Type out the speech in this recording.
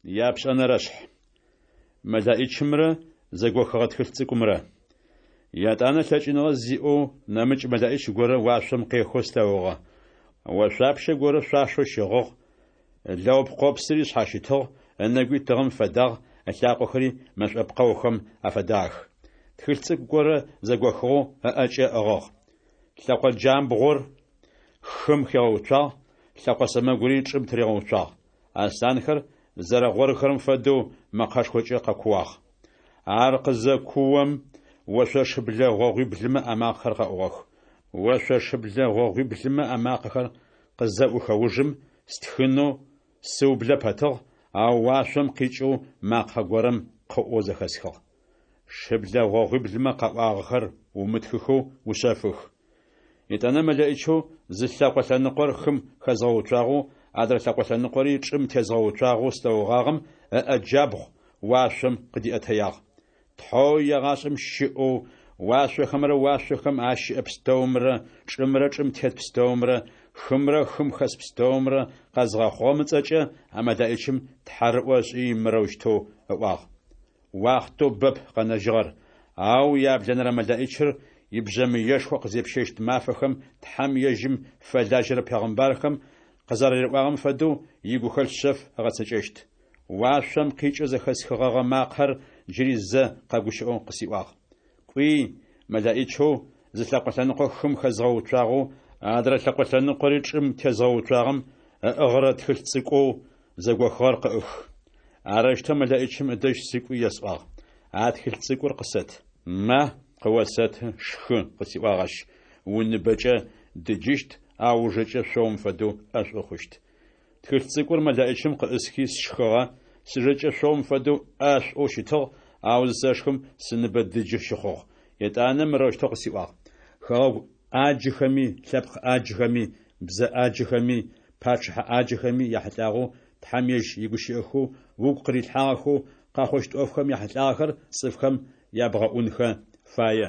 Япшӏэнэрэшъхь. Мэлэӏичымрэ зэгохыгъэ тхылъ цӏыкӏумрэ. Етӏанэ лъэкӏыныгъэ зиӏэу нэмыкӏ мэлэӏич горэ уашъом къехэу слъэгъугъэ. Ошъуапщэ горэ шъуашэу щыгъыгъ, лэгъупкъопсыри шъхьащытыгъ, ынэгуи тыгъэм фэдагъ, ылъакъохэри мэшӏо пкъэухэм афэдагъэх. Тхылъ цӏыкӏу горэ зэгохыгъэу ыӏэкӏэ ыӏыгъыгъ. Лъэкъо джамбгъур хым хигъэуцуагъ, лъэкъо сэмэгури чӏым тыригъэуцуагъ. Аслъанхэр зэрэгъорхэрэм фэдэу мэкъэшхокӏэ къэкууагъ. Ар къызэкуом, ошъо шыблэ гъогъуиблымэ амакъэхэр къэӏугъэх. Ошъо шыблэ гъогъуиблымэ амакъэхэр къызэӏухэ ужым, стхынэу сыублэ пэтыгъ, ау уашъом къикӏэу макъэ горэм къыӏоу зэхэсхыгъ. Шыблэ гъогъуиблымэ къаӏуагъэхэр умытхыхэу ушъэфых. Етӏанэ мэлэӏичэу зы лъэкъо лъэныкъор хым хэзгъэуцуагъэу, адрэ лъэкъо лъэныкъори чӏым тезгъэуцуагъэу слъэгъугъагъэм ыӏэ джабгъу уашъом къыдиӏэтэягъ. Тхьэу егъашӏэм щыӏэу, уашъохэмрэ уашъохэм ащыӏэ пстэумрэ, чӏымрэ чӏым тет пстэумрэ, хымрэ хым хэс пстэумрэ къэзгъэхъугъэм ыцӏэкӏэ а мэлэӏичым тхьарыӏо ышӏи мырэущтэу ыӏуагъ: Уахътэу бэп къэнэжьыгъэр, ау яблэнэрэ мэлэӏичыр ибжъэмыешхо къызепщэщт мафэхэм Тхьэм ежьым фэлажьэрэ пегъымбархэм къызэрариӏуагъэм фэдэу игухэлъ шъэф ыгъэцэкӏэщт. Уашъом къикӏэу зэхэсхыгъэгъэ макъэр джыри зэ къэгущыӏэу къысиӏуагъ. Кӏуи, мэлэӏичэу зы лъэкъо лъэныкъо хым хэзгъэуцуагъэу, адрэ лъэкъо лъэныкъори чӏым тезгъэуцуагъэм ыӏыгъырэ тхылъ цӏыкӏоу зэгохыгъэр къыӏых. Арэущтэу мэлэӏичым ыдэжь сыкӏуи есӏуагъ: А тхылъ цӏыкӏур къысэт. Ма, къыосэты, шхы, къысиӏуагъ ащ, уныбэкӏэ дыджыщт, ау ужэкӏэ шъоум фэдэу ӏэшӏу хъущт. Тхылъ цӏыкӏур мэлэӏичым къыӏысхи сшхыгъэ, сыжэкӏэ шъоум фэдэу ӏэшӏоу щытыгъ, ау зысэшхым сыныбэ дыджы щыхъугъ. Етӏанэ мырэущтэу къысиӏуагъ: Хэгъэгу ӏаджыхэми, лъэпкъ ӏаджыхэми, бзэ ӏаджыхэми, пачъыхьэ ӏаджыхэми яхьылӏагъэу Тхьэм ежь игущыӏэхэу угу къырилъхьагъэхэу къэхъущт ӏофхэм яхьылӏагъэхэр цӏыфхэм ябгъэӏунхэ фае.